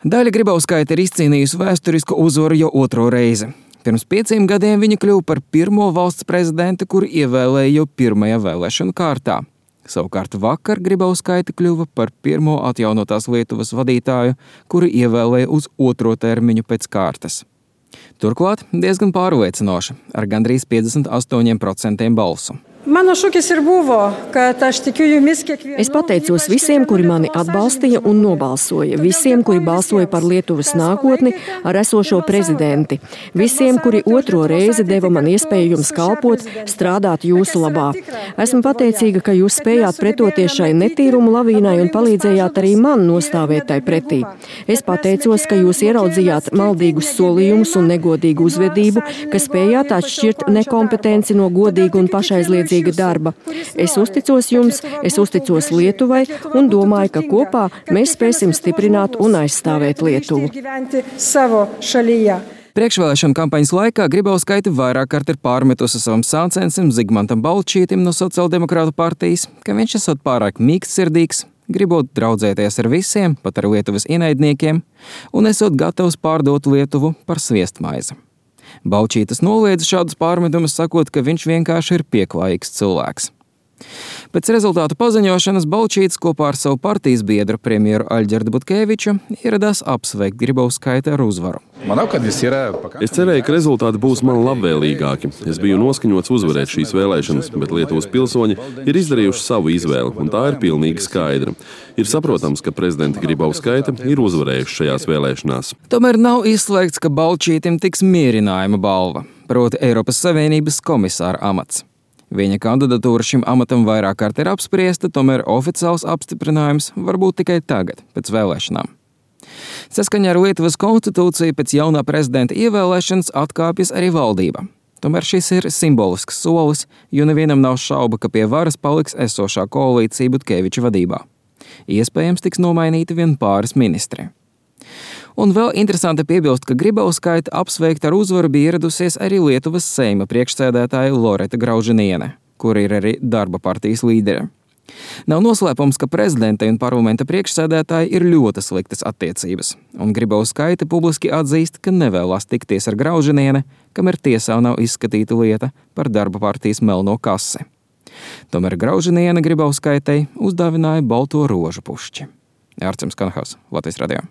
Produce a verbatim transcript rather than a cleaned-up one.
Daļa Grybauskaite ir izcīnījusi vēsturisku uzvaru jau otro reizi. Pirms pieciem gadiem viņa kļuva par pirmo valsts prezidentu, kuru ievēlēja jau pirmajā vēlēšanu kārtā. Savukārt vakar Grybauskaite kļuva par pirmo atjaunotās Lietuvas vadītāju, kuru ievēlēja uz otro termiņu pēc kārtas. Turklāt diezgan pārliecinoši, ar gandrīz piecdesmit astoņiem procentiem balsu. Mano šūkis ir buvo, kad aš tikiu jumis kiekvienu. Es pateicos visiem, kuri mani atbalstīja un nobalsoja, visiem, kuri balsoja par Lietuvas nākotni ar esošo prezidenti, visiem, kuri otro reizi deva man iespēju jums kalpot, strādāt jūsu labā. Esmu pateicīga, ka jūs spējāt pretoties šai netīrumu lavīnai un palīdzējāt arī man nostāvēt tai pretī. Es pateicos, ka jūs ieraudzījāt maldīgus solījumus un negodīgu uzvedību, ka spējāt atšķirt nekompetenci no godīgu un pašaizliedzīgu darba. Es uzticos jums, es uzticos Lietuvai un domāju, ka kopā mēs spēsim stiprināt un aizstāvēt Lietuvu. Priekšvēlēšanu kampaņas laikā Grybauskaite vairāk kārt ir pārmetusi savam sācensim Zigmantam Balčītim no Sociāldemokrātu partijas, ka viņš esot pārāk mīkstsirdīgs, gribot draudzēties ar visiem, pat ar Lietuvas ienaidniekiem, un esot gatavs pārdot Lietuvu par sviestmaizi. Balčītis noliedza šādus pārmetumus, sakot, ka viņš vienkārši ir pieklājīgs cilvēks. Pēc rezultātu paziņošanas Balčītis kopā ar savu partijas biedru premjeru Aļģerdu Butkeviču ieradās apsveikt Grybauskaite ar uzvaru. Es cerēju, ka rezultāti būs man labvēlīgāki. Es biju noskaņots uzvarēt šīs vēlēšanas, bet Lietuvas pilsoņi ir izdarījuši savu izvēli, un tā ir pilnīgi skaidra. Ir saprotams, ka prezidenta Grybauskaite ir uzvarējuši šajās vēlēšanās. Tomēr nav izslēgts, ka Balčītim tiks mierinājuma balva, proti Eiropas Savienības komisāra amats. Viņa kandidatūra šim amatam vairāk kārt ir apspriesta, tomēr oficiāls apstiprinājums var būt tikai tagad, pēc vēlēšanām. Saskaņā ar Lietuvas konstitūciju pēc jaunā prezidenta ievēlēšanas atkāpjas arī valdība. Tomēr šis ir simbolisks solis, jo nevienam nav šauba, ka pie varas paliks esošā koalīcija Butkeviča vadībā. Iespējams tiks nomainīti vien pāris ministri. Un vēl interesanti piebilst, ka Grybauskaite apsveikt ar uzvaru bija ieradusies arī Lietuvas Seima priekšsēdētāja Loreta Graužiniene, kur ir arī darba partijas līdere. Nav noslēpums, ka prezidentai un parlamenta priekšsēdētāji ir ļoti sliktas attiecības, un Grybauskaite publiski atzīst, ka nevēlas tikties ar Graužiniene, kamēr tiesā nav izskatīta lieta par darba partijas melno kasi. Tomēr Graužiniene Grybauskaitei uzdāvināja balto rožu pušķi. Ārcems Kanhaus, Latvijas radio.